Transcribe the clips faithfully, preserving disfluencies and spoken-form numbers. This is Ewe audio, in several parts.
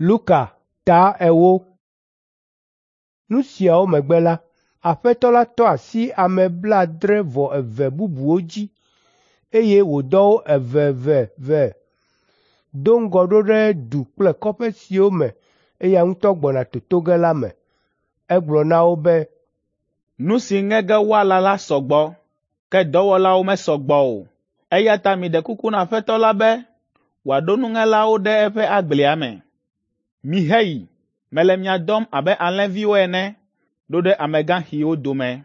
Luka ta ewo. Nu siawo megbe la, Aƒetɔ la tɔ asi ame blaadre-vɔ-eve bubuwo dzi, eye wòdɔ wo eveveve do ŋgɔ ɖo ɖe du kple kɔƒe siwo me eya ŋutɔ gbɔna toto ge la me. Egblɔ na wo be, “Nu si ŋe ge woala la sɔ gbɔ, ke dɔwɔlawo mesɔ gbɔ o. Eya ta miɖe kuku na Aƒetɔ la be wòaɖo nuŋelawo ɖe eƒe agblea me. Miheyi, mele mia dɔm abe alẽviwo ene ɖo ɖe amegãxiwo dome.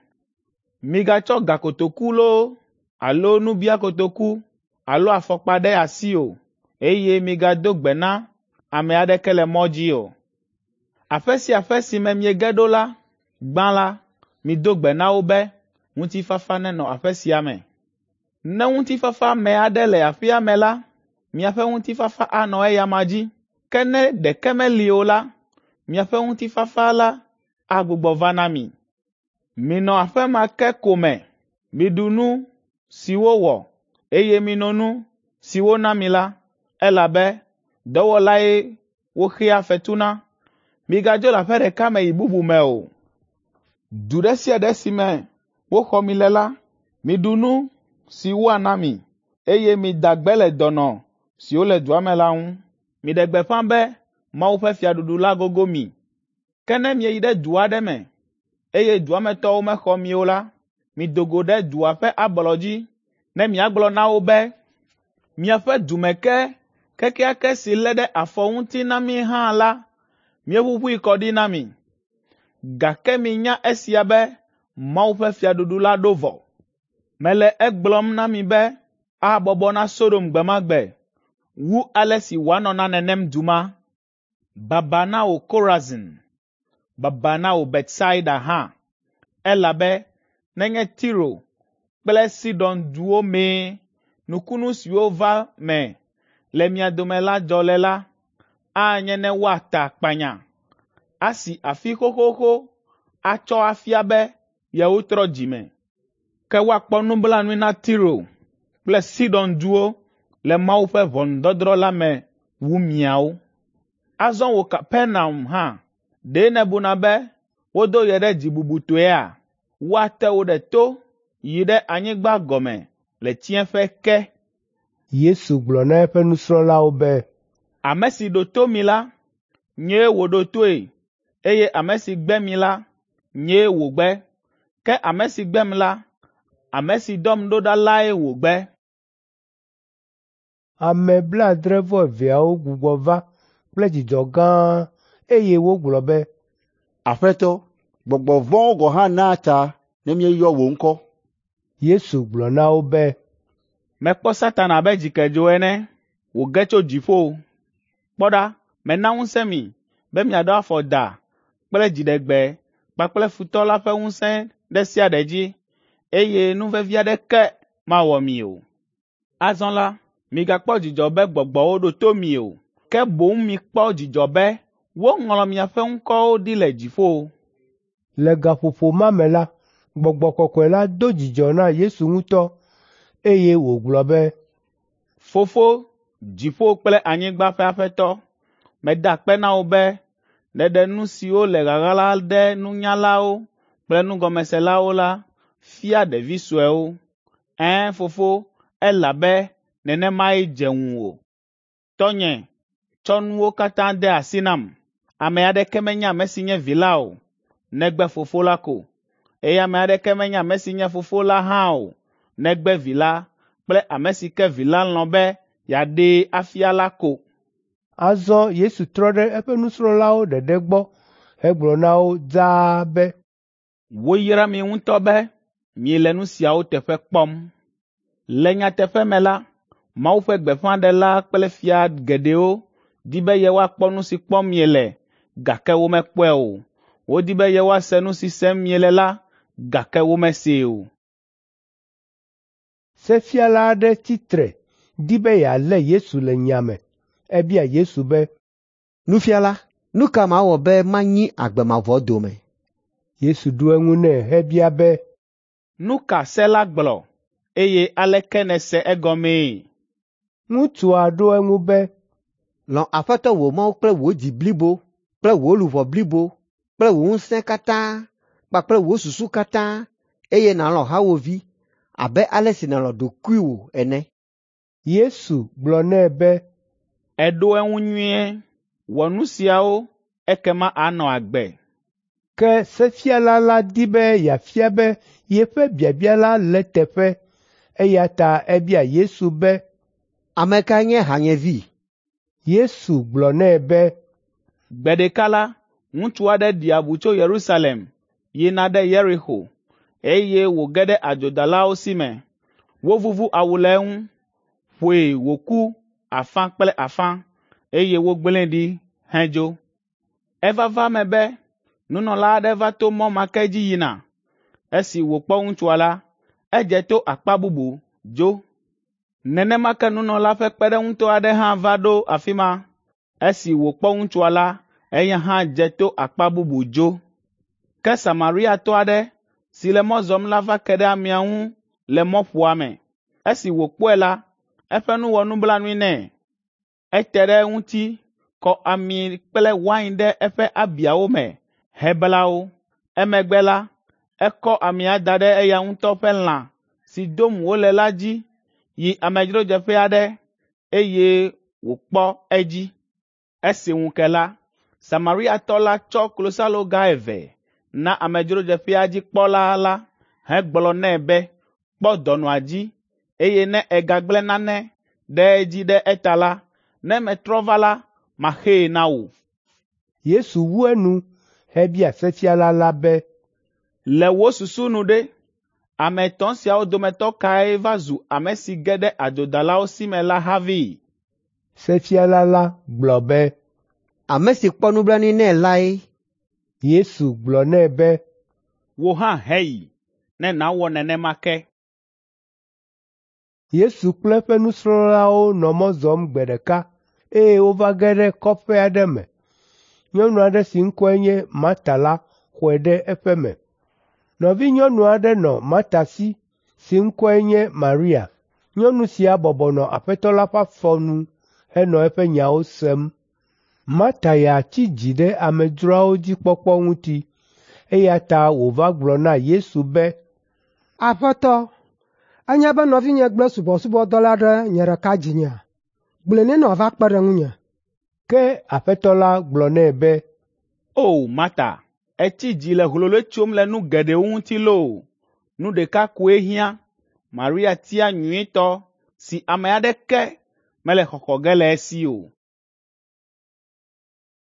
Migatsɔ gakotoku loo alo nubiakotoku alo afɔkpa ɖe asi o, eye migado gbe na ame aɖeke le mɔ dzi o. Aƒe sia aƒe si me miege ɖo la, gbã la, mido gbe na wo be, ‘Ŋutifafa nenɔ aƒe sia me.’ Ne ŋutifafame aɖe le aƒea me la, miaƒe ŋutifafa anɔ eya amea dzi. Ke ne ɖeke meli o la, miaƒe ŋutifafa la agbugbɔ va na mi. Minɔ aƒe ma ke ko me, miɖu nu si wowɔ, eye mino nu si wona mi la, elabe dɔwɔlae woxea fetu na. Migadzo le aƒe ɖeka me yi bubu me o. Du ɖe sia ɖe si me woxɔ mi le la, miɖu nu si woana mi, eye mida gbe le dɔnɔ siwo le dua me la ŋu. Miɖe gbeƒã be Mawu ƒe fiaɖuɖu la gogo mi. Ke ne mieyi ɖe du aɖe me, eye dua me tɔwo mexɔ mi o la, mido go ɖe dua ƒe ablɔ dzi ne miagblɔ na wo be, ‘Miaƒe dumeke kekeake si lé ɖe afɔ ŋuti na mí hã la, míeʋuʋui kɔ ɖi na mi.’ Gake minya esia be Mawu ƒe fiaɖuɖu la ɖo vɔ. Mele egblɔm na mi be abɔbɔ na Sodom gbe ma gbe wu ale si wòanɔ na nenem du ma. Baba na wò Korazin! Baba na wò Betsaida hã! Elabe nenye Tiro kple Sidon duwo mee nukunu siwo va me le mia dome la dzɔ le la, anye ne woata akpanya, asi afi xoxoxo atsɔ afia be yewotrɔ dzime. Ke woakpɔ nublanui na Tiro kple Sidon duwo le Mawu ƒe ʋɔnudɔdrɔ̃ la me wu miawo. Azɔ wò Kapernaum hã, ɖe nèbuna be wodo ye ɖe dzi bubutɔea? Woate wò ɖe to yi ɖe anyigba gɔme le tsiẽƒe ke. Yesu gblɔ na eƒe nusrɔ̃lawo be, “Ame si ɖo to mi la, nyee wòɖo toe, eye ame si gbe mi la, nyee wògbe. Ke ame si gbem la, ame si dɔm ɖo ɖa lae wògbe.” Ame blaadre-vɔ-eveawo gbugbɔ va kple dzidzɔ gã eye wogblɔ be, “Aƒetɔ, gbɔgbɔ vɔ̃wo gɔ̃ hã naa ta ne míeyɔ wò ŋkɔ.” Yesu gblɔ na wo be, “Mekpɔ Satana abe dzikedzo ene wòge tso dziƒo. Kpɔ ɖa, mena ŋusẽ mi be miaɖo afɔ da kple dziɖegbe kpakple futɔ la ƒe ŋusẽ ɖe sia ɖe dzi, eye nu vevi aɖeke mawɔ mi o. Azɔ la, migakpɔ dzidzɔ be gbɔgbɔwo ɖo to mi o, ke boŋ mikpɔ dzidzɔ be woŋlɔ miaƒe ŋkɔwo ɖi le dziƒo.” Le gaƒoƒo ma me la, Gbɔgbɔ Kɔkɔe la do dzidzɔ na Yesu ŋutɔ, eye wògblɔ be, “Fofo, dziƒo kple anyigba ƒe Aƒetɔ, meda akpe na wò be nèɖe nu siwo le ɣaɣla ɖe nunyalawo kple nugɔmeselawo la fia ɖevi suewo. Ɛ̃, Fofo, elabe nenemae dze ŋuwò. Tɔnye tsɔ nuwo katã de asi nam. Ame aɖeke menya ame si nye Vi la o, negbe Fofo la ko, eye ame aɖeke menya ame si nye Fofo la hã o, negbe Vi la kple ame si ke Vi la lɔ̃ be yeaɖee afia la ko.” Azɔ Yesu trɔ ɖe eƒe nusrɔ̃lawo ɖeɖe gbɔ hegblɔ na wo dzaa be, “Woyra mi ŋutɔ be miele nu siawo teƒe kpɔm. Le nyateƒe me la, Mawu ƒe gbeƒãɖela kple fia geɖewo di be yewoakpɔ nu si kpɔm miele, gake womekpɔe o. Wodi be yewoase nu si sem miele la, gake womesee o.” Sefiala aɖe tsi tre di be yealé Yesu le nya me. Ebia Yesu be, “Nufiala, nu ka mawɔ be manyi agbe mavɔ dome?” Yesu ɖo eŋu nɛ hebia be, “Nu ka se la gblɔ, eye aleke nèse egɔmee?” Ŋutsua ɖo eŋu be, Lɔ̃ Aƒetɔ wò Mawu kple wò dzi blibo kple wò luʋɔ blibo kple wò ŋusẽ katã kpakple wò susu katã, eye nàlɔ̃ hawòvi abe ale si nèlɔ̃ ɖokuiwò ene.” Yesu gblɔ nɛ be, “Èɖo eŋu nyuie. Wɔ nu siawo, ekema ànɔ agbe.” Ke sefiala la di be yeafia be yeƒe biabia la le eteƒe, eya ta ebia Yesu be, “Ame kae nye hanyevi?” Yesu gblɔ nɛ be, Gbe ɖeka la, ŋutsu aɖe ɖi abu tso Yerusalem yina ɖe Yeriko, eye wòge ɖe adzodalawo si me. Wovuvu awu le eŋu, ƒoe wòku afã kple afã, eye wogblẽe ɖi hedzo. Eva va eme be nunɔla aɖe va to mɔ ma ke dzi yina. Esi wòkpɔ ŋutsua la, edze to akpa bubu dzo. Nenema ke nunɔla ƒe kpeɖeŋutɔ aɖe hã va ɖo afi ma. Esi wòkpɔ ŋutsua la, eya hã dze to akpa bubu dzo. Ke Samariatɔ aɖe si le mɔ zɔm la va ke ɖe amea ŋu le mɔƒoa me. Esi wòkpɔe la, eƒe nu wɔ nublanui nɛ. Ete ɖe eŋuti, kɔ ami kple wain ɖe eƒe abiawo me hebla wo. Emegbe la, ekɔ amia da ɖe eya ŋutɔ ƒe lã si dom wole la dzi yi amedzrodzeƒe aɖe, eye wòkpɔ edzi. Esi ŋu ke la, Samariatɔ la tsɔ klosaloga eve na amedzrodzeƒea dzi kpɔla la hegblɔ nɛ be, ‘Kpɔ dɔnɔa dzi, eye ne ègagblẽ nane ɖe edzi ɖe eta la, ne metrɔ va la, maxee na wò.’ Yesu wu enu hebia sefiala la be, “Le wò susu nu ɖe, ame etɔ̃ siawo dometɔ kae va zu ame si ge ɖe adzodalawo si me la havi?” Sefiala la gblɔ be, “Ame si kpɔ nublanui nɛ lae.” Yesu gblɔ nɛ be, “Wò hã heyi, ne nàwɔ nenema ke.” Yesu kple eƒe nusrɔ̃lawo nɔ mɔ zɔm gbe ɖeka eye wova ge ɖe kɔƒe aɖe me. Nyɔnu aɖe si ŋkɔe nye Marta la xɔe ɖe eƒe me. Nɔvinyɔnu aɖe nɔ Marta si si ŋkɔe nye Maria. Nyɔnu sia bɔbɔ nɔ Aƒetɔ la ƒe afɔ nu henɔ eƒe nyawo sem. Marta ya tsi dzi ɖe amedzroawo dzi kpɔkpɔ ŋuti, eya ta wòva gblɔ na Yesu be, “Aƒetɔ, ènya be nɔvinye gblẽ subɔsubɔdɔ la ɖe nye ɖeka dzinyea? Gblɔe nɛ ne wòava kpe ɖe ŋunye.” Ke Aƒetɔ la gblɔ nɛ be, “O Marta, ètsi dzi le hloloe tsom le nu geɖewo ŋuti loo. Nu ɖeka koe hiã. Maria tia nyuitɔ si ame aɖeke mele xɔxɔ ge le esi o.”